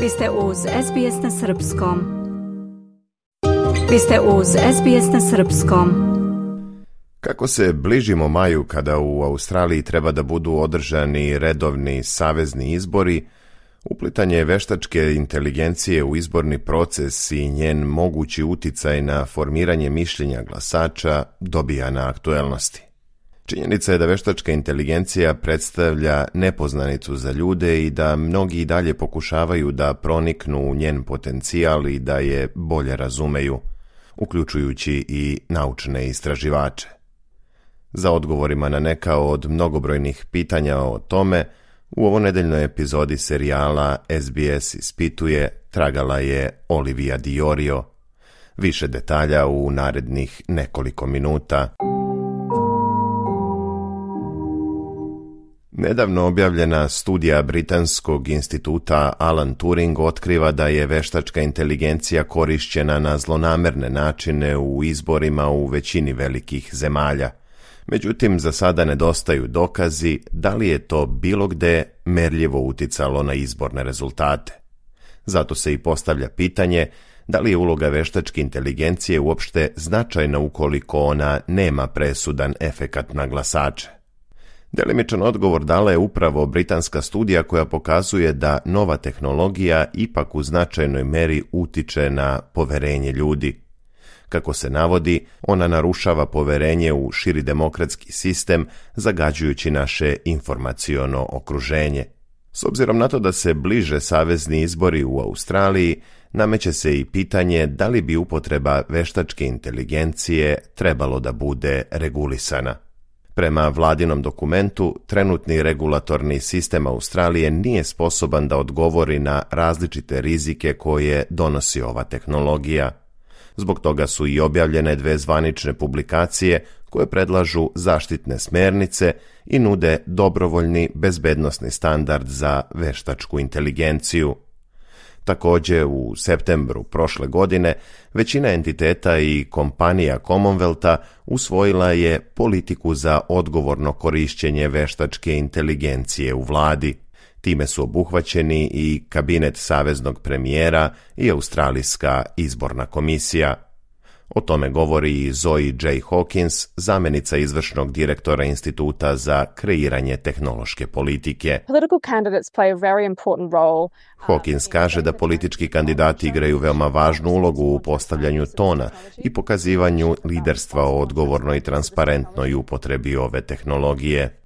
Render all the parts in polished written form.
Vi ste uz SBS na Srpskom. Vi ste uz SBS na Srpskom. Kako se bližimo maju kada u Australiji treba da budu održani redovni savezni izbori, uplitanje veštačke inteligencije u izborni proces i njen mogući uticaj na formiranje mišljenja glasača dobija na aktuelnosti. Činjenica je da veštačka inteligencija predstavlja nepoznanicu za ljude i da mnogi i dalje pokušavaju da proniknu u njen potencijal i da je bolje razumeju, uključujući i naučne istraživače. Za odgovorima na neka od mnogobrojnih pitanja o tome, u ovonedeljnoj epizodi serijala SBS ispituje tragala je Olivia Diorio. Više detalja u narednih nekoliko minuta. Nedavno objavljena studija Britanskog instituta Alan Turing otkriva da je veštačka inteligencija korišćena na zlonamerne načine u izborima u većini velikih zemalja. Međutim, za sada nedostaju dokazi da li je to bilo gde merljivo uticalo na izborne rezultate. Zato se i postavlja pitanje da li je uloga veštačke inteligencije uopšte značajna ukoliko ona nema presudan efekat na glasače. Delimičan odgovor dala je upravo britanska studija koja pokazuje da nova tehnologija ipak u značajnoj meri utiče na poverenje ljudi. Kako se navodi, ona narušava poverenje u širi demokratski sistem, zagađujući naše informaciono okruženje. S obzirom na to da se bliže savezni izbori u Australiji, nameće se i pitanje da li bi upotreba veštačke inteligencije trebalo da bude regulisana. Prema vladinom dokumentu, trenutni regulatorni sistem Australije nije sposoban da odgovori na različite rizike koje donosi ova tehnologija. Zbog toga su i objavljene 2 zvanične publikacije koje predlažu zaštitne smernice i nude dobrovoljni bezbednosni standard za veštačku inteligenciju. Također, u septembru prošle godine, većina entiteta i kompanija Commonwealtha usvojila je politiku za odgovorno korišćenje veštačke inteligencije u vladi. Time su obuhvaćeni i kabinet saveznog premijera i Australijska izborna komisija. O tome govori i Zoe J. Hawkins, zamjenica izvršnog direktora Instituta za kreiranje tehnološke politike. Hawkins kaže da politički kandidati igraju veoma važnu ulogu u postavljanju tona i pokazivanju liderstva o odgovornoj i transparentnoj upotrebi ove tehnologije.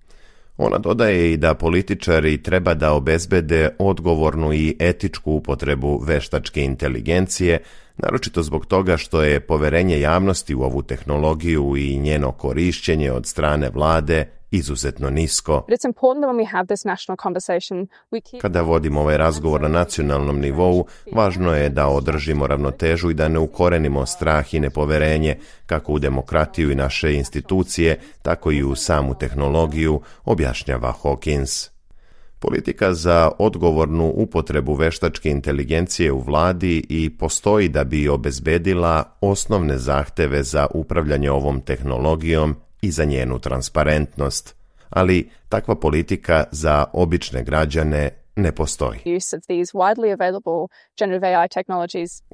Ona dodaje i da političari treba da obezbede odgovornu i etičku upotrebu veštačke inteligencije, naročito zbog toga što je poverenje javnosti u ovu tehnologiju i njeno korišćenje od strane vlade izuzetno nisko. Kada vodimo ovaj razgovor na nacionalnom nivou, važno je da održimo ravnotežu i da ne ukorenimo strah i nepoverenje, kako u demokratiju i naše institucije, tako i u samu tehnologiju, objašnjava Hawkins. Politika za odgovornu upotrebu veštačke inteligencije u vladi i postoji da bi obezbedila osnovne zahteve za upravljanje ovom tehnologijom i za njenu transparentnost, ali takva politika za obične građane ne postoji.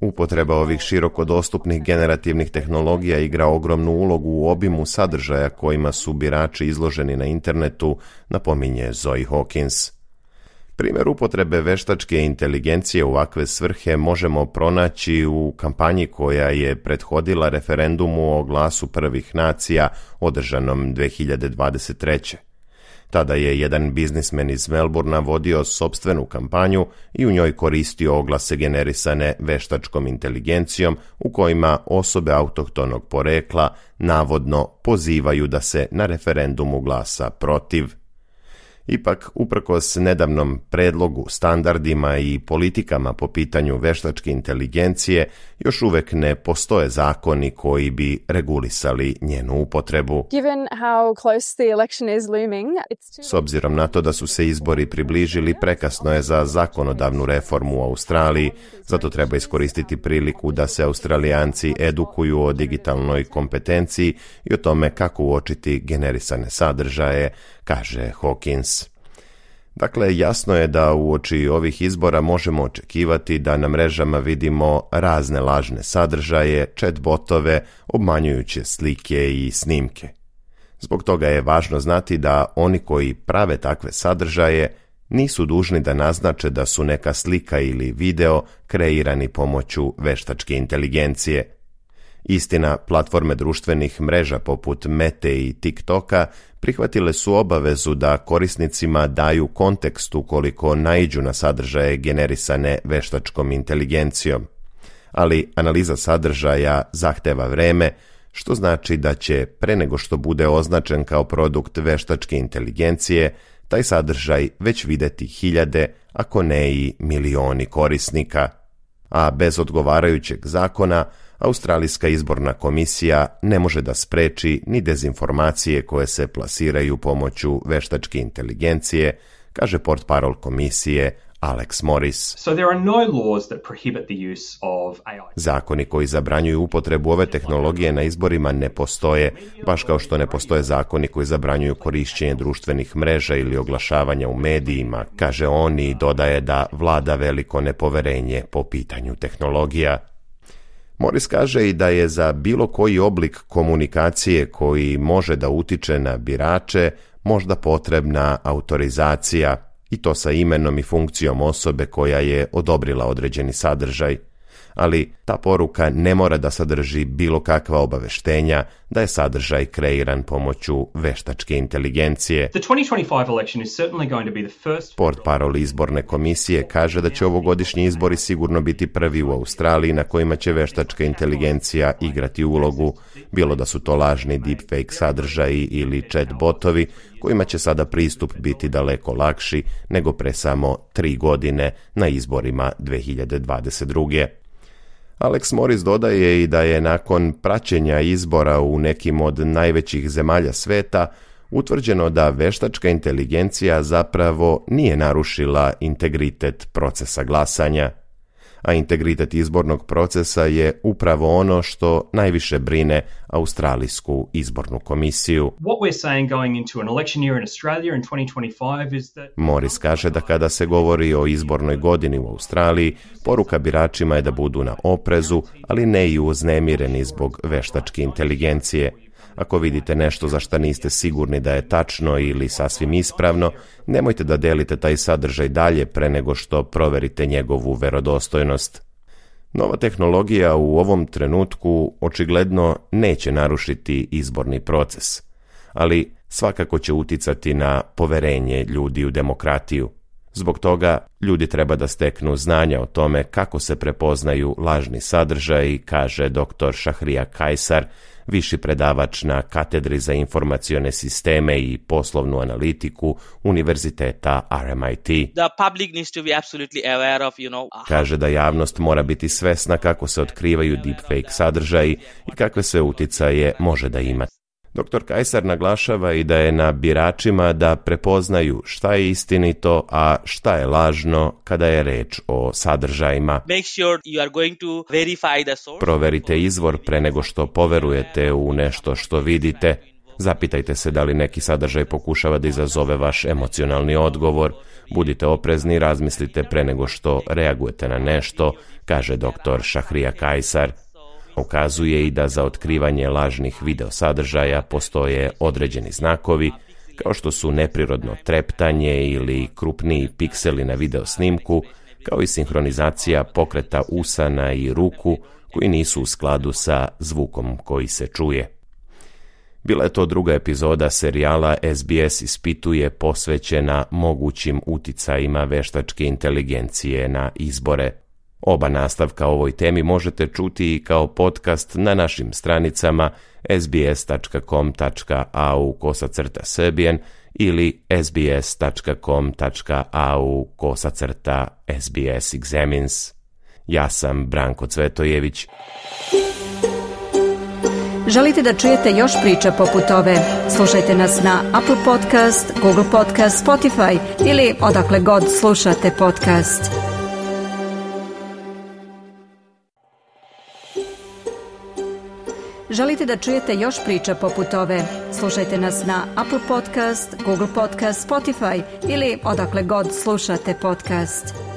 Upotreba ovih široko dostupnih generativnih tehnologija igra ogromnu ulogu u obimu sadržaja kojima su birači izloženi na internetu, napominje Zoe Hawkins. Primjer upotrebe veštačke inteligencije u ovakve svrhe možemo pronaći u kampanji koja je prethodila referendumu o glasu prvih nacija održanom 2023. Tada je jedan biznismen iz Melbourna vodio sopstvenu kampanju i u njoj koristio oglase generisane veštačkom inteligencijom u kojima osobe autohtonog porekla navodno pozivaju da se na referendumu glasa protiv. Ipak, uprkos nedavnom predlogu, standardima i politikama po pitanju veštačke inteligencije, još uvek ne postoje zakoni koji bi regulisali njenu upotrebu. S obzirom na to da su se izbori približili, prekasno je za zakonodavnu reformu u Australiji, zato treba iskoristiti priliku da se Australijanci edukuju o digitalnoj kompetenciji i o tome kako uočiti generisane sadržaje, kaže Hawkins. Dakle, jasno je da uoči ovih izbora možemo očekivati da na mrežama vidimo razne lažne sadržaje, chatbotove, obmanjujuće slike i snimke. Zbog toga je važno znati da oni koji prave takve sadržaje nisu dužni da naznače da su neka slika ili video kreirani pomoću veštačke inteligencije. Istina, platforme društvenih mreža poput Mete i TikToka prihvatile su obavezu da korisnicima daju kontekst ukoliko naiđu na sadržaje generisane veštačkom inteligencijom. Ali analiza sadržaja zahteva vreme, što znači da će, pre nego što bude označen kao produkt veštačke inteligencije, taj sadržaj već videti hiljade, ako ne i milioni korisnika. A bez odgovarajućeg zakona, Australijska izborna komisija ne može da spreči ni dezinformacije koje se plasiraju pomoću veštačke inteligencije, kaže portparol komisije Alex Morris. Zakoni koji zabranjuju upotrebu ove tehnologije na izborima ne postoje, baš kao što ne postoje zakoni koji zabranjuju korišćenje društvenih mreža ili oglašavanja u medijima, kaže on i dodaje da vlada veliko nepoverenje po pitanju tehnologija. Morris kaže i da je za bilo koji oblik komunikacije koji može da utiče na birače možda potrebna autorizacija, i to sa imenom i funkcijom osobe koja je odobrila određeni sadržaj. Ali ta poruka ne mora da sadrži bilo kakva obaveštenja da je sadržaj kreiran pomoću veštačke inteligencije. Portparol izborne komisije kaže da će ovogodišnji izbori sigurno biti prvi u Australiji na kojima će veštačka inteligencija igrati ulogu, bilo da su to lažni deepfake sadržaji ili chatbotovi, kojima će sada pristup biti daleko lakši nego pre samo 3 godine na izborima 2022. Alex Morris dodaje i da je nakon praćenja izbora u nekim od najvećih zemalja sveta utvrđeno da veštačka inteligencija zapravo nije narušila integritet procesa glasanja, a integritet izbornog procesa je upravo ono što najviše brine Australijsku izbornu komisiju. Morris kaže da kada se govori o izbornoj godini u Australiji, poruka biračima je da budu na oprezu, ali ne i uznemireni zbog veštačke inteligencije. Ako vidite nešto za šta niste sigurni da je tačno ili sasvim ispravno, nemojte da delite taj sadržaj dalje pre nego što proverite njegovu verodostojnost. Nova tehnologija u ovom trenutku očigledno neće narušiti izborni proces, ali svakako će uticati na poverenje ljudi u demokratiju. Zbog toga ljudi treba da steknu znanja o tome kako se prepoznaju lažni sadržaji, kaže dr. Shahriyar Kaisar, viši predavač na katedri za informacione sisteme i poslovnu analitiku Univerziteta RMIT. Kaže da javnost mora biti svesna kako se otkrivaju deepfake sadržaji i kakve sve uticaje može da ima. Dr. Kaisar naglašava i da je na biračima da prepoznaju šta je istinito, a šta je lažno kada je reč o sadržajima. Proverite izvor pre nego što poverujete u nešto što vidite. Zapitajte se da li neki sadržaj pokušava da izazove vaš emocionalni odgovor. Budite oprezni i razmislite pre nego što reagujete na nešto, kaže dr. Shahriyar Kaisar. Ukazuje i da za otkrivanje lažnih video sadržaja postoje određeni znakovi, kao što su neprirodno treptanje ili krupniji pikseli na video snimku, kao i sinhronizacija pokreta usana i ruku koji nisu u skladu sa zvukom koji se čuje. Bila je to druga epizoda serijala SBS ispituje posvećena mogućim uticajima veštačke inteligencije na izbore. Oba nastavka ovoj temi možete čuti i kao podcast na našim stranicama sbs.com.au/serbian ili sbs.com.au/sbs-examines. Ja sam Branko Cvetojević. Želite da čujete još priča poput ove? Slušajte nas na Apple Podcast, Google Podcast, Spotify ili odakle god slušate podcast. Želite da čujete još priča poput ove? Slušajte nas na Apple Podcast, Google Podcast, Spotify ili odakle god slušate podcast.